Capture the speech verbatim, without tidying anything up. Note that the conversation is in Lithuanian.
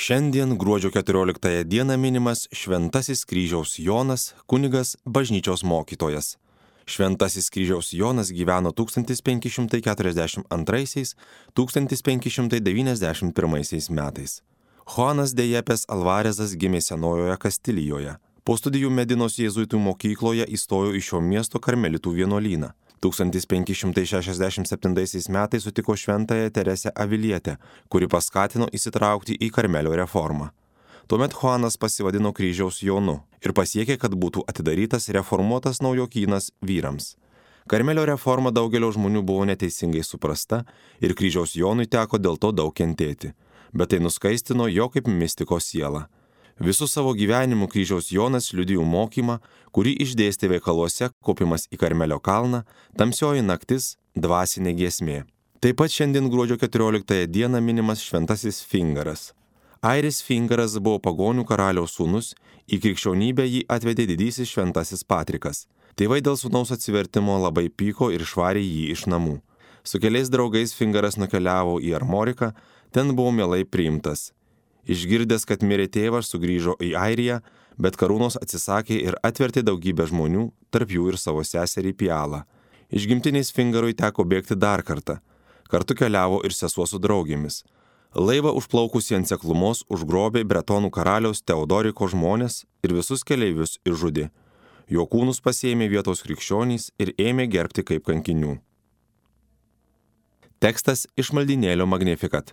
Šiandien gruodžio keturioliktąją dieną minimas Šventasis Kryžiaus Jonas, kunigas, bažnyčios mokytojas. Šventasis Kryžiaus Jonas gyveno tūkstantis penki šimtai keturiasdešimt antraisiais - tūkstantis penki šimtai devyniasdešimt pirmaisiais metais. Juanas de Jepes Alvarezas gimė Senojoje Kastilijoje. Po studijų Medinos jėzuitų mokykloje įstojo į šio miesto karmelitų vienuolyną. tūkstantis penki šimtai šešiasdešimt septintaisiais metais sutiko šventąją Teresę Avilietę, kuri paskatino įsitraukti į Karmelio reformą. Tuomet Juanas pasivadino Kryžiaus Jonu ir pasiekė, kad būtų atidarytas reformuotas naujokynas vyrams. Karmelio reforma daugelio žmonių buvo neteisingai suprasta ir Kryžiaus Jonui teko dėl to daug kentėti, bet tai nuskaistino jo kaip mistiko sielą. Visų savo gyvenimu Kryžiaus Jonas liudijo mokymą, kurį išdėstė veikaluose Kopimas į Karmelio kalną, Tamsioji naktis, dvasinė giesmė. Taip pat šiandien gruodžio keturioliktąją dieną minimas Šventasis Fingaras. Airis Fingaras buvo pagonių karaliaus sūnus, į krikščionybę jį atvedė didysis Šventasis Patrikas. Tėvai dėl sūnaus atsivertimo labai pyko ir išvarė jį iš namų. Su keliais draugais Fingaras nukeliavo į Armoriką, ten buvo mielai priimtas. Išgirdęs, kad mirė tėvas, sugrįžo į Airiją, bet karūnos atsisakė ir atvertė daugybę žmonių, tarp jų ir savo seserį Pialą. Išgimtiniais Fingarui teko bėgti dar kartą. Kartu keliavo ir sesuo su draugėmis. Laivą užplaukusį ant seklumos užgrobė bretonų karaliaus Teodoriko žmonės ir visus keleivius išžudė. Jo kūnus pasiėmė vietos krikščionys ir ėmė gerbti kaip kankinių. Tekstas iš maldynėlio Magnificat.